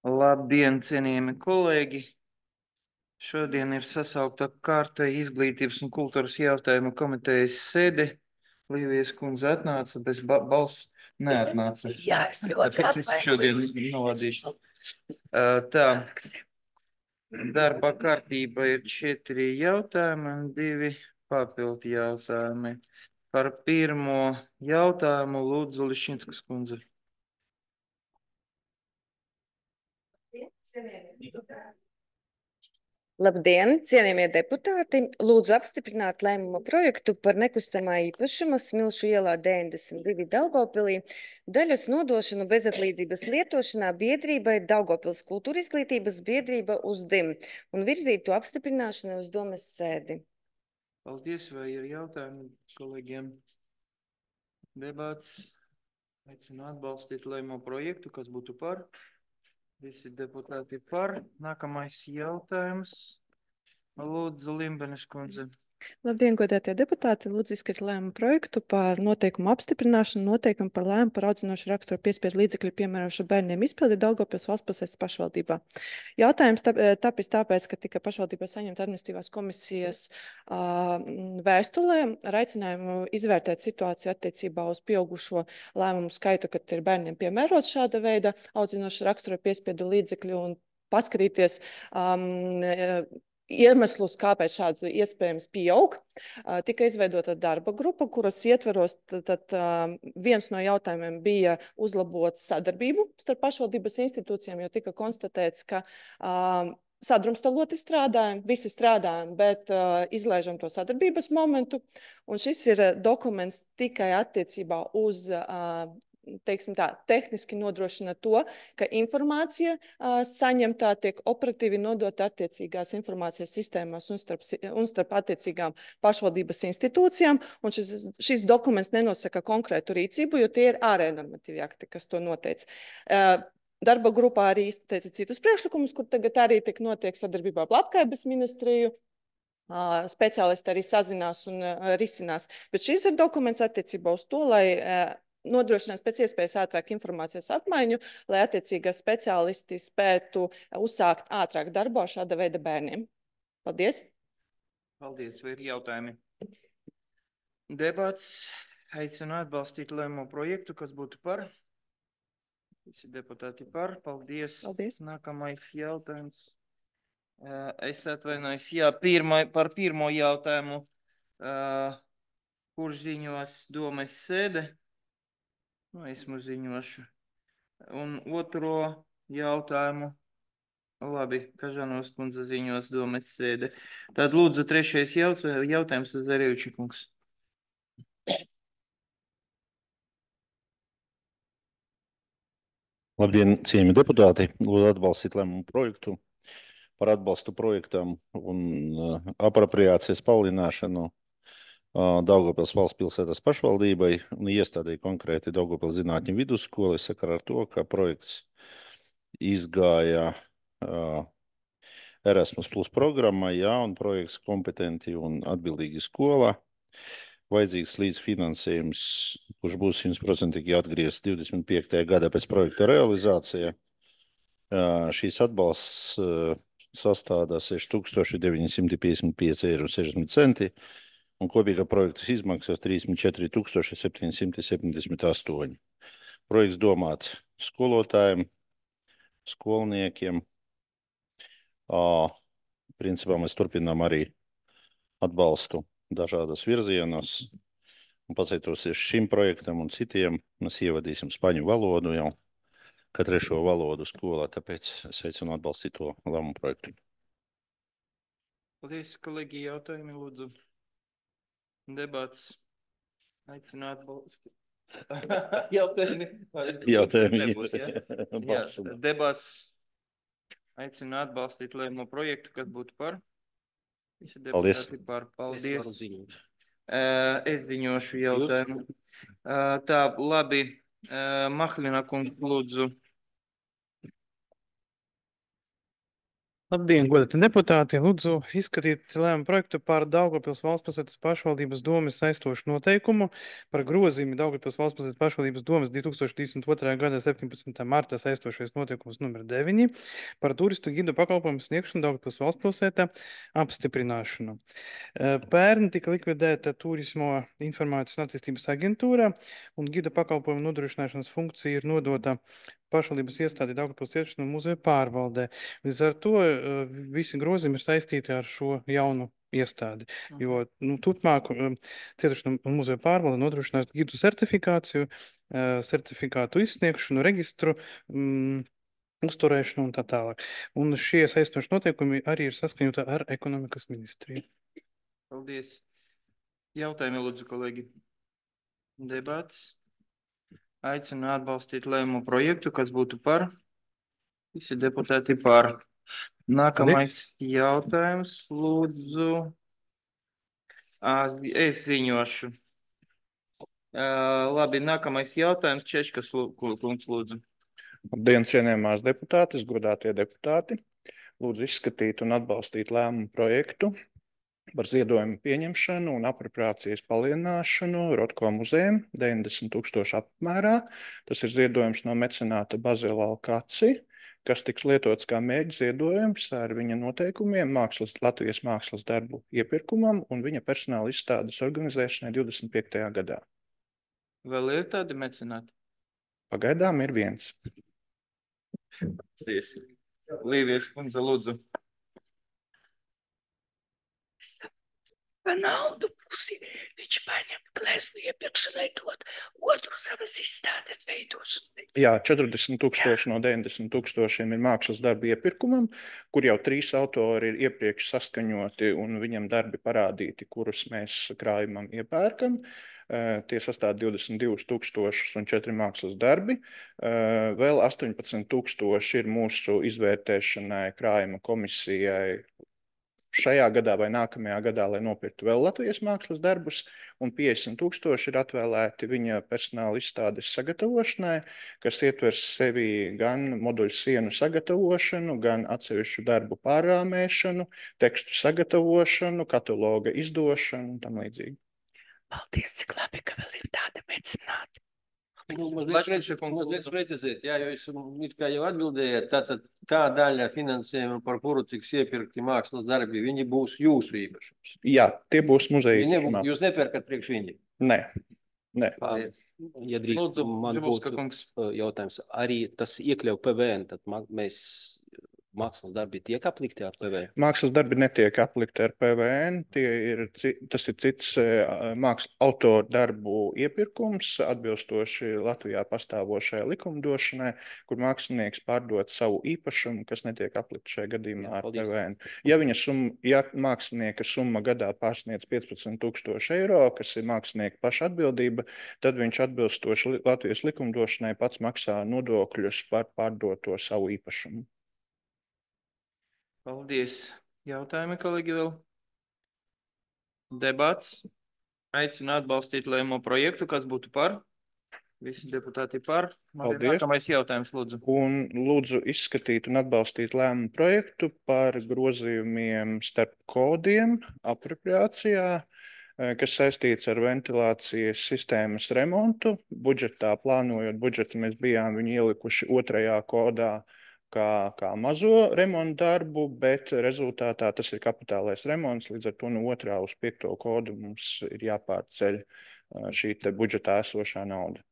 Labdien, cienījami kolēģi! Šodien ir sasaukta kārtēji izglītības un kultūras jautājumu komitejas sēde. Līvijas kundze atnāca, bez balss neatnāca. Jā, es ļoti Tāpēc es šodien novadīšu. Tā, darba kārtība ir 4 jautājumi un 2 papildu jautājumi. Par pirmo jautājumu lūdzu Lišņickas kundze. Labdien, cienījamie deputāti! Lūdzu apstiprināt lēmuma projektu par nekustamā īpašuma Smilšu ielā 92 Daugavpilī daļas nodošanu bezatlīdzības lietošanā biedrībai Daugavpils kultūra izglītības biedrība USDIM un virzīt to apstiprināšanai uz domes sēdi. Paldies, vai ir jautājumi kolēģiem? Debats. Aicinu atbalstīt lēmumu projektu, kas būtu par. Visi deputāti par. Nākamais jautājums. Lūdzu, Limbenes kundze. Labdien, godātie deputāti! Lūdzu izskatīt lēmumu projektu par noteikumu apstiprināšanu, noteikumu par lēmumu par audzinošu raksturu piespiedu līdzekļu piemērošanu bērniem izpildi Daugavpils valstspilsētas pašvaldībā. Jautājums tapis tāpēc, ka tika pašvaldībā saņemta administratīvās komisijas vēstulē ar aicinājumu izvērtēt situāciju attiecībā uz pieaugušo lēmumu skaitu, kad ir bērniem piemērots šāda veida audzinošu raksturu piespiedu līdzekļu un paskatīties iemeslus, kāpēc šāds iespējams pieaug. Tika izveidota darba grupa, kuras ietveros viens no jautājumiem bija uzlabot sadarbību starp pašvaldības institūcijām, jo tika konstatēts, ka sadrumstaloti strādājam, visi strādājam, bet izlaižam to sadarbības momentu. Un šis ir dokuments tikai attiecībā uz teiksim tā, tehniski nodrošina to, ka informācija saņemtā tiek operatīvi nodota attiecīgās informācijas sistēmās un starp attiecīgām pašvaldības institūcijām. Un šis dokuments nenosaka konkrētu rīcību, jo tie ir ārēji normatīvi akti, kas to noteic. Darba grupā arī izteica citus priekšlikumus, kur tagad arī tiek notiek sadarbībā ar Labklājības ministriju. Speciālisti arī sazinās un risinās. Bet šis ir dokuments attiecībā uz to, lai nodrošinās pēc iespējas ātrāk informācijas apmaiņu, lai attiecīgā speciālisti spētu uzsākt ātrāk darbu ar šāda veida bērniem. Paldies! Paldies, vai ir jautājumi? Debats. Aicinu atbalstīt lēmumu projektu, kas būtu par. Visi deputāti par. Paldies. Paldies. Nākamais jautājums. Es atvainojos, jā, par pirmo jautājumu. Kurš ziņos domes sēde? Esmu ziņošu. Un otro jautājumu. Labi, Kažanovs kundze ziņos domes sēde. Tad lūdzu trešais jautājums Zarieviča kungs. Labdien, cienījami deputāti! Lūdzu atbalstīt lēmumu projektu par atbalstu projektam un apropriācijas palielināšanu Daugavpils valstspilsētas pašvaldībai un iestādēji konkrēti Daugavpils zinātņu vidusskola sakarā ar to, ka projekts izgāja Erasmus Plus programmā, un projekts kompetenti un atbildīgi skolā. Vajadzīgs līdzfinansējums, kurš būs 100% atgriezts 25. gadā pēc projekta realizācija. Šīs atbalsts sastādā 6,955,60 € un kopīgā projekta izmaksas 34,778 €. Projekts domāts skolotājiem, skolniekiem. Principā mēs turpinām arī atbalstu dažādas virzienos. Un pateicoties šim projektam un citiem, mēs ievadīsim spaņu valodu jau kā trešo valodu skolā, tāpēc es aicinu atbalstīt to lēmumu projektu. Paldies, kolēģi, jautājumi, lūdzu. Debats. Aicinu atbalstīt. Jautājumi. Nebūs, ja? Jā, debats. Aicinu atbalstīt lēmumu projektu, kas būtu par. Visi deputāti par. Paldies. Es ziņošu jautājumu. Tā, labi. Mahlina kungs, lūdzu. Labdien, godāti deputāti! Lūdzu izskatīt lēmumu projektu par Daugavpils Valstpilsētas pašvaldības domes saistošu noteikumu par grozījumu Daugavpils Valstpilsētas pašvaldības domes 2022. gada 17. marta saistošais noteikums numur 9 par turistu gidu pakalpojumu sniegšanu Daugavpils Valstpilsētā apstiprināšanu. Pērn tika likvidēta Turismo informācijas un attīstības aģentūra un gida pakalpojumu nodrošināšanas funkcija ir nodota pašvaldības iestādi Daugavpils cietušanu muzeja pārvaldē. Līdz ar to visi grozījumi ir saistīti ar šo jaunu iestādi, jo turpmāk cietušanu muzeja pārvalde nodrošinās gidu certifikāciju, certifikātu izsniegšanu, registru, uzturēšanu un tā tālāk. Un šie saistoši noteikumi arī ir saskaņoti ar ekonomikas ministriju. Paldies. Jautājumi, lūdzu, kolēģi. Debats. Aicinu atbalstīt lēmumu projektu, kas būtu par. Visi deputāti par. Nākamais jautājums, lūdzu. Es ziņošu. Labi, nākamais jautājums, Češkas kungs, lūdzu. Labdien, cienījamās deputātes, godātie deputāti. Lūdzu izskatīt un atbalstīt lēmumu projektu par ziedojumu pieņemšanu un apropriācijas palielināšanu Rotko muzejam 90 000 apmērā. Tas ir ziedojums no mecenāta Bazila Alkaci, kas tiks lietots kā mērķa ziedojums ar viņa noteikumiem Latvijas mākslas darbu iepirkumam un viņa personāla izstādes organizēšanai 25. gadā. Vēl ir tādi mecenāti? Pagaidām ir viens. Līvijas kundze, lūdzu. Pa naudu pusi viņš paņem gleznu iepirkšanai dot, otru savas izstādes veidošanai. Jā, 40 000 no 90 000 ir mākslas darbi iepirkumam, kur jau 3 autori ir iepriekš saskaņoti un viņam darbi parādīti, kurus mēs krājumam iepērkam. Tie sastāv 22 000 un 4 mākslas darbi. Vēl 18 000 ir mūsu izvērtēšanai krājuma komisijai šajā gadā vai nākamajā gadā, lai nopirktu vēl Latvijas mākslas darbus, un 50 000 ir atvēlēti viņa personāla izstādes sagatavošanai, kas ietvers sevi gan moduļu sienu sagatavošanu, gan atsevišķu darbu pārrāmēšanu, tekstu sagatavošanu, kataloga izdošanu un tam līdzīgi. Paldies, cik labi, ka vēl ir tāda mecenāta. Mazliet precizēt, jā, jo jūs it kā jau atbildējāt, tātad tā daļa finansējuma, par kuru tiks iepirkti mākslas darbi, viņi būs jūsu īpašums. Jā, tie būs muzeja īpašumā. Jūs nepērkat priekš viņi? Nē. Ja drīkst, man būtu jautājums, arī tas iekļauj PVN, tad mēs mākslas darbi tiek aplikti ar PVN? Mākslas darbi netiek aplikti ar PVN, tas ir cits autoru darbu iepirkums, atbilstoši Latvijā pastāvošajai likumdošanai, kur mākslinieks pārdod savu īpašumu, kas netiek aplikti šajā gadījumā ar PVN. Ja mākslinieka summa gadā pārsniedz 15 000 eiro, kas ir mākslinieka paša atbildība, tad viņš atbilstoši Latvijas likumdošanai pats maksā nodokļus par pārdoto savu īpašumu. Paldies. Jautājumi, kolēģi, vēl? Debats. Aicinu atbalstīt lēmumu projektu, kas būtu par. Visi deputāti par. Paldies. Nākamais jautājums, lūdzu. Un lūdzu izskatīt un atbalstīt lēmumu projektu par grozījumiem starp kodiem apropriācijā, kas saistīts ar ventilācijas sistēmas remontu. Budžetā plānojot budžetu, mēs bijām viņu ielikuši 2. kodā, kā mazo remontu darbu, bet rezultātā tas ir kapitālais remonts, līdz ar to no 2. uz 5. kodu mums ir jāpārceļ šī te budžetā esošā nauda.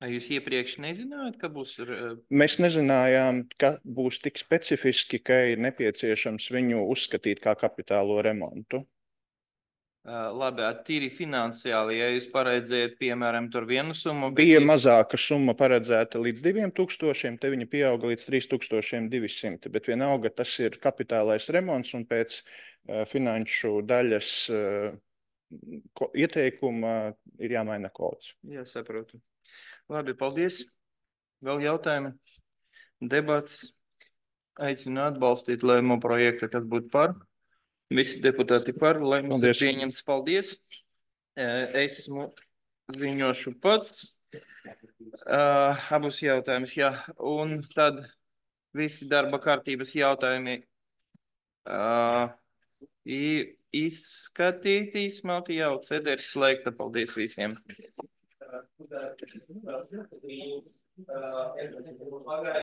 Vai jūs iepriekš nezinājāt, ka būs? Mēs nezinājām, ka būs tik specifiski, ka ir nepieciešams viņu uzskatīt kā kapitālo remontu. Labi, tīri finansiāli, ja jūs paredzējat, piemēram, tur vienu summu. Bija mazāka summa paredzēta līdz 2000, te viņa pieauga līdz 3200, bet vienalga tas ir kapitālais remonts un pēc finanšu daļas ieteikuma ir jāmaina kods. Jā, saprotu. Labi, paldies. Vēl jautājumi? Debats. Aicinu atbalstīt lēmumu projektu, kas būtu par. Visi deputāti par, lai mums ir pieņemts. Paldies. Esmu ziņošu pats. Abus jautājumus, jā. Un tad Visi darba kārtības jautājumi izskatīti, izsmelti jau, CD ir slēgta. Paldies visiem!